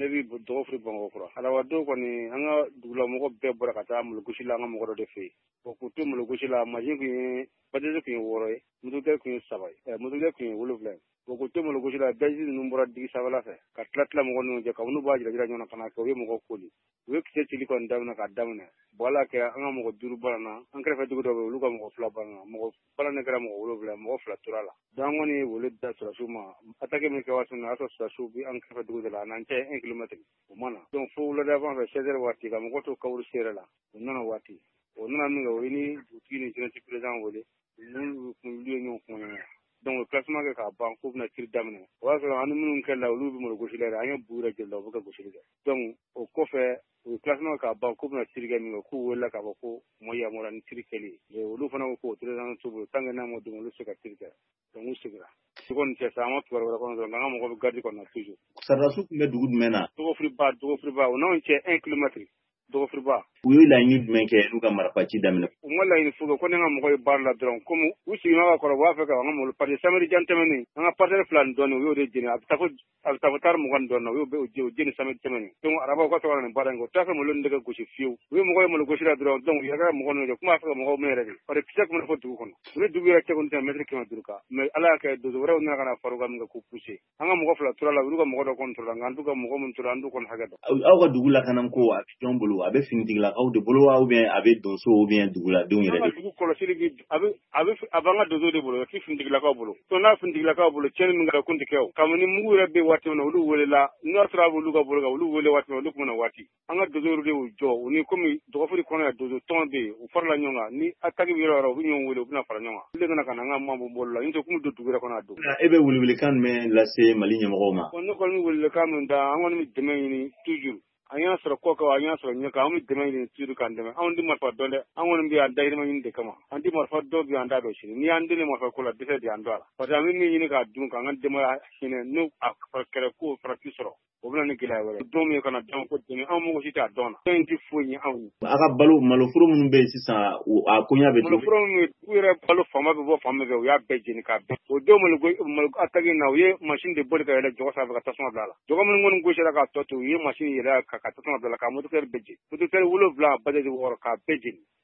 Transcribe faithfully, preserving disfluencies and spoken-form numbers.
Ne bɛ Dɔgɔfiri Bamakɔkura. Alabadenw kɔni, an ka dugulamɔgɔ bɛɛ bɔra ka taa malogosi la an ka mɔgɔ dɔ de fɛ yen. Bon, k'u to malogosi la, mansin tun ye bajaji tun ye wɔɔrɔ ye, mototigɛ tun ye saba ye, mototigɛ tun ye wolonwula ye. Bon, k'u to malogosi la, daji ninnu bɔra digi sanfɛla fɛ ka tila tila mɔgɔ ninnu cɛ, kabini b'a jira jira ɲɔgɔn na ka na kɛ u ye mɔgɔ koli. U ye kisɛ cili kɔni daminɛ k'a daminɛ. Bon, Ala kɛ an ka mɔgɔ duuru banna, an kɛrɛfɛ dugu dɔ bɛ yen, olu ka mɔgɔ fila banna, mɔgɔ balannen kɛra mɔgɔ wolonwula, mɔgɔ fila tora la. Donc an kɔni ye wele da sɔrɔdasiw ma, attaque min kɛ waati min na, o y'a sɔrɔ sɔrɔdasiw bɛ an kɛrɛfɛ dugu de la, a n'an cɛ un kilomètre o ma na. Donc fo wulada fɛ seize heures waati ka mɔgɔ to kaburu sen yɛrɛ la, u nana waati. O nana min kɛ, o ye ni dugutigi ni jeunesse président wele, n'u ye ɲɔgɔn kuma ɲɔgɔnya. Donc o classement kɛ k'a ban k'u bɛna tir daminɛ. O y'a sɔrɔ an ni minnu kɛlɛla, olu bɛ malogosi la yɛrɛ, an ye bu yɛrɛ jeli la, u bɛ ka gosili kɛ. Donc o kɔfɛ, u ye classement k'a ban k'u bɛna tir kɛ min kɛ, k'u welela k'a fɔ ko u ma yamaruya ni tir kɛli ye. Olu fana ko k'o autorisation t'u bolo, tant que n'a ma d'u ma, olu tɛ se ka tir kɛ. Donc u seginna. U kɔni cɛ sa, an ma kibaruya wɛrɛ kɔnɔ sɔrɔ, nka an ka mɔgɔ bɛ garde kɔnɔ toujours. Sɔrɔdasiw tun bɛ dugu jumɛn na? Dɔgɔfiriba, Dɔgɔfiriba, o n'anw cɛ un kilomètre. Dɔgɔfiriba. U ye laɲini jumɛn kɛ n'u ka marifaci daminɛ? U ma laɲini foyi kɛ, ko ne ka mɔgɔ ye baara la dɔrɔn, komi u sigiɲɔgɔn ka kɔrɔ, u b'a fɛ ka an ka malo, parce que samedi jan tɛmɛnen, an ka parcelle fila ni dɔɔnin, u y'o de jeni, a bɛ taa fo a bɛ taa fo tari mugan ni dɔɔnin na, u y'o bɛɛ jeni samedi tɛmɛnen. Donc araba u ka sɔrɔ ka na nin baara in kɛ, u t'a fɛ malo ninnu de ka gosi fiyewu. U ye mɔgɔ ye malo gosi la dɔrɔn, donc u yɛrɛ ka mɔgɔ ninnu jɔ, kuma b'a fɛ ka mɔgɔw minɛ yɛrɛ de. Parce que kisɛ tun bɛ fɔ dugu kɔnɔ. U ni dugu yɛrɛ cɛ kɔni tɛ mètre kɛmɛ duuru kan. Mais Ala y'a kɛ donso wɛrɛw nana ka na far'u kan min kɛ k'u pousser. An ka mɔgɔ fila tora la, olu ka mɔgɔ dɔ kɔni tora la, nka an t'u ka mɔgɔ min tora, an t'u kɔni hakɛ dɔn. Aw ka dugu lakanako a bɛ jɔn bolo? A bɛ finitigilakaw de bolo wa, ou bien a bɛ donso ou bien duguladenw yɛrɛ de? An ka dugu kɔlɔsili bi a bɛ a bɛ a b'an ka donso de bolo, a tɛ finitigilakaw bolo. Donc n'a finitigilakaw bolo, tiɲɛni min kɛra kun tɛ kɛ o. Kabini mugu yɛrɛ bɛ waati min na, olu welela, n'o y'a sɔrɔ a b'olu ka bolo kan, olu wele waati min na, olu tun bɛ na waati. An ka donso de y'u jɔ, u ni komi Dɔgɔfiri kɔnɔ yan donso tɔn bɛ yen, u farala ɲɔgɔn kan, ni attaque bɛ yɔrɔ o yɔrɔ, u bɛ ɲɔgɔn wele, u bɛna fara ɲɔgɔn kan. Olu de nana ka na an ka maaw bolo la, n'o tɛ kun bɛ don dugu yɛrɛ kɔnɔ a don. E bɛ welewelekan jumɛn lase Mali ɲɛmɔgɔw ma? Ne kɔni bɛ welewelekan min da, an kɔni bɛ dɛmɛ ɲini toujours. An y'a sɔrɔ kɔ kan, an y'a sɔrɔ ɲɛ kan, an bɛ dɛmɛ ɲini toujours k'an dɛmɛ. Anw tɛ marifa dɔn dɛ, an kɔni bɛ yan dahirimɛ ɲini de kama. An tɛ marifa dɔn bi, an t'a dɔn sini. N'i y'an deli marifa ko la, dɛsɛ de y'an don a la. Parce que an bɛ min ɲini k'a dun, k'an ka denbaya hinɛ, n'o a kɛlɛ ko farati sɔrɔ, o bɛ na ni gɛlɛya wɛrɛ. Don min kana dɔn ko dɛmɛ, anw mɔgɔ si t'a dɔn na. Fɛn in tɛ foyi ɲɛ anw ye. A ka balo, maloforo minnu bɛ yen sisan, a koɲa bɛ cogo? Maloforo minnu u yɛrɛ balo fanba bɛ bɔ fan min fɛ, u y'a bɛɛ jeni k'a bɛɛ. O don malo malo attaque in na, u ye machine de boli ka yɛlɛ jɔgɔ sanfɛ ka tasuma bila a la. Jɔgɔ minnu kɔni gosira k'a tɔ to, u ye machine yɛlɛ ka ka tasuma bila a la, ka mototigɛ bɛɛ jeni. Mototigɛ wolonwula, bajaji wɔɔrɔ, k'a bɛɛ jeni.